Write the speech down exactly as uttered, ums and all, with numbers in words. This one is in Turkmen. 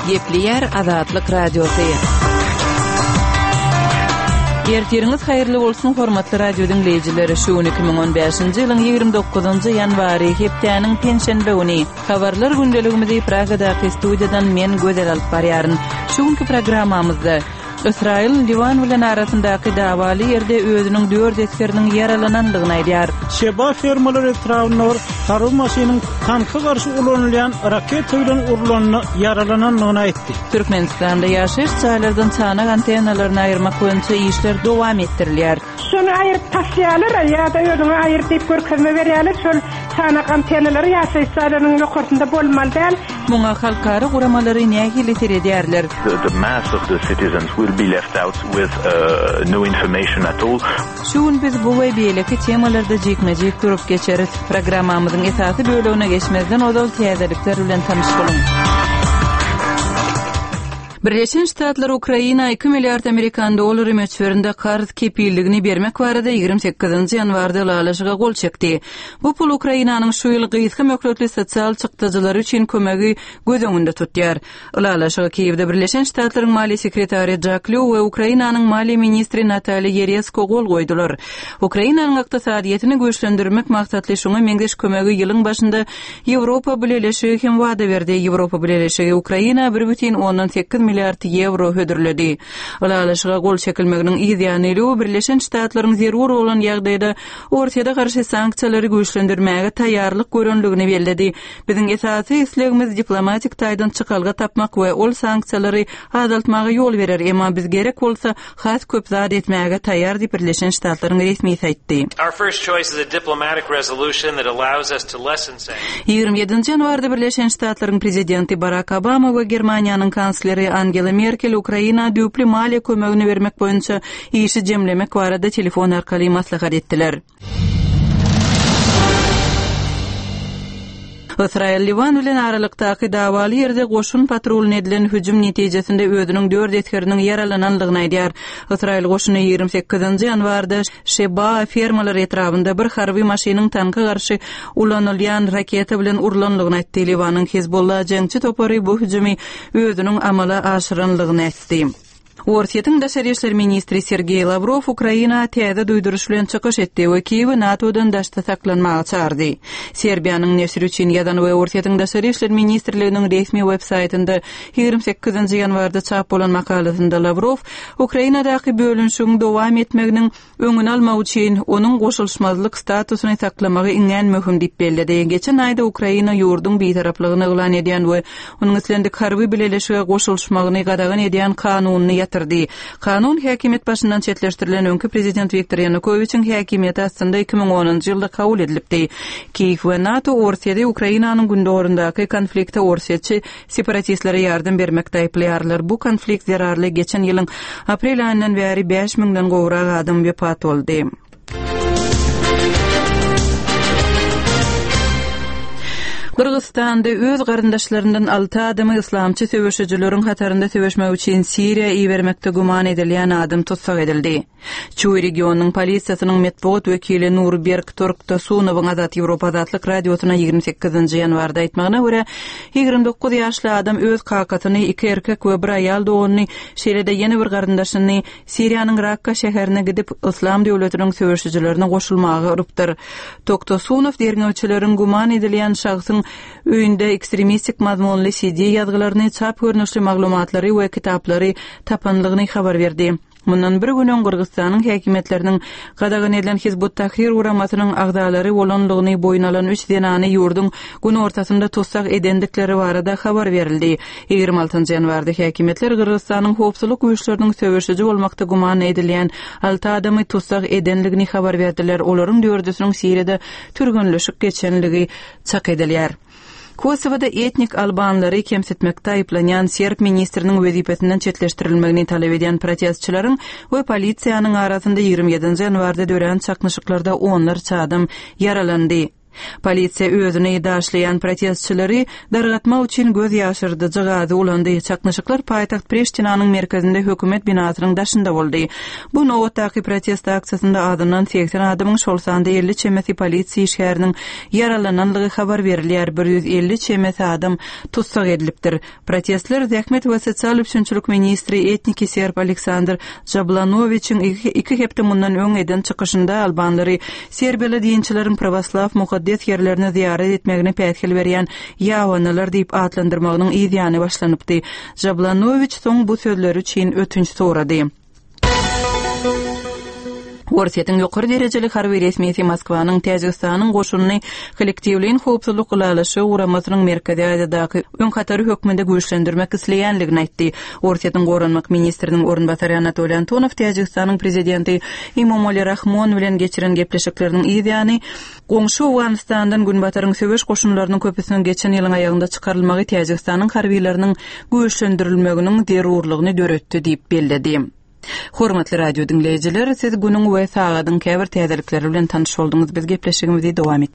Gepleýär Azatlyk Radiosy. Ertiriňiz haýyrly bolsun, hormatly radio diňleýjiler. Şu gün iki müň on bäşinji ýylyň ýigrimi dokuzynjy ýanwary, hepdäniň penşenbe güni. Habarlar gündeligimizi Pragadaky studiýadan men Gözel alyp barýaryn. Şu günki programmamyzda Ysraýyl Liwan bilen arasyndaky dawaly ýerde özüniň dört esgeriniň ýaralanandygyny aýdýar. Şeba fermalar etrabynda bir harby maşynyň tanka garşy ulanylýan raketa bilen urlanyna ýaralanandygyny aýtdy. Türkmenistanda ýaşaýyş jaýlardan çanak antennalaryny aýyrmak boýunça işler dowam etdirilýär. Şony aýyryp taşlaýarlar, ýa-da özüňe aýyr diýip görkezme berýärler. Şol çanak antennalary ýaşaýyş jaýlarynyň ýokarsynda bolmaly däl. Muňa halkara guramalary nähili seredýärler? The, the mass of the citizens will be left out with, uh, no information at all. Şu gün biz bu we beýleki temalarda jikme-jik durup geçeris. Programmamyzyň esasy bölegine geçmezden ozal täzelikler bilen tanyş boluň. Birleşen Ştatlar Ukraina iki milliard amerikan dollary möçberinde karz kepilligini bermek barada ýigrimi sekizinji ýanwarda ylalaşyga gol çekdi. Bu pul Ukrainanyň şu ýyl gysga möhletli sosial çykdajylary üçin kömegi göz öňünde tutýar. Ylalaşyga Kiýewde Birleşen Ştatlaryň maliýe sekretary Jack Lew we Ukrainanyň maliýe ministri Nataliýa Ýeresko gol goýdular. Ukrainanyň ykdysadyýetini güýçlendirmek maksatly şuňa meňzeş kömegi ýylyň başynda Ýewropa Bileleşigi hem wada berdi. Ýewropa Bileleşigi Ukraina bir bütin ondan sekiz milliard ýewro hödürledi. Ylalaşyga gol çekilmeginiň yz ýany Lew Birleşen Ştatlaryň zerur bolan ýagdaýda Orsýete garşy sanksiýalary güýçlendirmäge taýýarlyk görenligini belledi. Biziň esasy islegimiz diplomatik taýdan çykalga tapmak we ol sanksiýalary azaltmaga ýol berer, emma biz gerek bolsa has köp zat etmäge taýýar diýip Birleşen Ştatlaryň resmisi aýtdy. Our first choice is a diplomatic resolution that allows us to lessen sanctions. Ýigrimi ýedinji ýanwarda Birleşen Ştatlaryň prezidenti Barak Obama we Germaniýanyň kansleri Angela Merkel Ukraina düýpli maliýe kömegini bermek boýunça işi jemlemek barada telefon arkaly maslahat etdiler. Ysraýyl Liwan bilen aralykdaky dawaly ýerde goşun patrulyna edilen hüjüm netijesinde özüniň dört esgeriniň ýaralanandygyny aýdýar. Ysraýyl goşuny ýigrimi sekizinji ýanwarda Şeba fermalar etrabynda bir harby maşynyň tanka garşy ulanylýan raketa bilen urlandygyny aýtdy. Liwanyň Hezbollah jeňçi topary bu hüjümi özüniň amala aşyranlygyny aýtdy. Orsýetiň daşary işler ministri Sergeý Lawrow Ukraina täze duýduryş bilen çykyş etdi we Kiýewi NATO-dan daşda saklanmaga çagyrdy. Serbiýanyň neşiri üçin ýazan we Orsýetiň daşary işler ministrliginiň resmi web-saýtynda ýigrimi sekizinji ýanwarda çap bolan makalasynda Lawrow Ukrainadaky bölünişigiň dowam etmeginiň öňüni almak üçin onuň goşulyşmazlyk statusyny saklamagy iňňän möhüm diýip belledi. Geçen aýda Ukraina ýurduň bitaraplygyny yglan edýän we onuň islendik harby bileleşige goşulyşmagyny gadagan edýän kanunyny ýatyrdy. Kanun häkimiýet başyndan çetleşdirilen öňki prezident Wiktor Ýanukowiçiň häkimiýeti astynda iki müň onunjy ýylda kabul edilipdi. Kiýew we NATO Orsýeti Ukrainanyň gündogaryndaky konflikte orsýetçi separatistlere ýardam bermekde aýyplaýarlar. Bu konflikt zerarly geçen ýylyň aprel aýyndan bäri bäş müňden gowrak adam wepat boldy. Gyrgyzystanda öz garyndaşlaryndan alty adamy yslamçy söweşijileriň hatarynda söweşmek üçin Siriýa ibermekde güman edilýän adam tussag edildi. Çuý regionynyň polisiýasynyň metbugat wekili Nurberk Torktasunowyň Azat Ýewropa Azatlyk radiosyna ýigrimi sekizinji ýanwarda aýtmagyna görä, ýigrimi dokuz ýaşly adam öz kakasyny, iki erkek we bir aýal doganyny, şeýle-de ýene bir garyndaşyny Siriýanyň Rakka şäherine gidip, Yslam döwletiniň söweşijilerine goşulmaga urupdyr. Toktasunow derňewçileriň güman edilýän şahsyň öýünde ekstremistik mazmunly C D ýazgylaryny, çap görnüşli maglumatlary we kitaplary tapanlygyny habar berdi. Mundan bir gün öň Gyrgyzystanyň häkimiýetleriniň gadagan edilen Hizbut Tahrir guramasynyň agzalary bolanlygyny boýun alan üç zenany ýurduň gün ortasynda tussag edendikleri barada habar berildi. Ýigrimi altynjy ýanwarda häkimiýetler Gyrgyzystanyň howpsuzlyk güýçleriniň söweşiji bolmakda güman edilýän alty adamy tussag edenligini habar berdiler. Olaryň dördüsiniň Siriýada türgenleşik geçenligi çak edilýär. Kosowada etnik albanlary kemsitmekde aýyplanýan serb ministriniň wezipesinden çetleşdirilmegini talap edýän protestçileriň we polisiýanyň arasynda ýigrimi ýedinji ýanwarda dörän çaknyşyklarda onlarça adam ýaralandy. Polisiýa özüni daşlaýan protestçileri dargatmak üçin göz ýaşyrdyjy gazy ulandy. Çaknyşyklar paýtagt Priştinanyň merkezinde hökümet binasynyň daşynda boldy. Bu nobatdaky protest aksiýasynda azyndan segsen adamyň, şol sanda elli çemesi polisiýa işgäriniň ýaralananlygy habar berilýär. Bir ýüz elli çemesi adam tussag edilipdir. Protestler zähmet we sosial üpjünçilik ministri etniki serb Aleksandr Jablanowiçiň iki hepde mundan öň eden çykyşynda albanlary serbiýaly dinçileriň prawoslaw mukaddes ýerlerine zyýarat etmegine päsgel berýän ýabanylar diýip atlandyrmagynyň yz ýany başlanypdy. Jablanowiç soň bu sözleri üçin ötünç sorady. Orsýetiň ýokary derejeli harby resmisi Moskwanyň Täjigistanyň goşunyny Kollektiwleýin howpsuzlyk ylalaşygy guramasynyň Merkezi Aziýadaky öň hatary hökmünde güýçlendirmek isleýänligini aýtdy. Orsýetiň goranmak ministriniň orunbasary Anatoliý Antonow Täjigistanyň prezidenti Emomali Rahmon bilen geçiren gepleşikleriniň yz ýany goňşy Owganystandan Günbataryň söweş goşunlarynyň köpüsiniň geçen ýylyň aýagynda çykarylmagy Täjigistanyň harbylarynyň güýçlendirilmeginiň zerurlygyny döretdi diýip belledi. Hormatly radio diňleýjiler, siz günüň we sagadyň käbir täzelikleri bilen tanyş bolduňyz. Biz gepleşigimizi dowam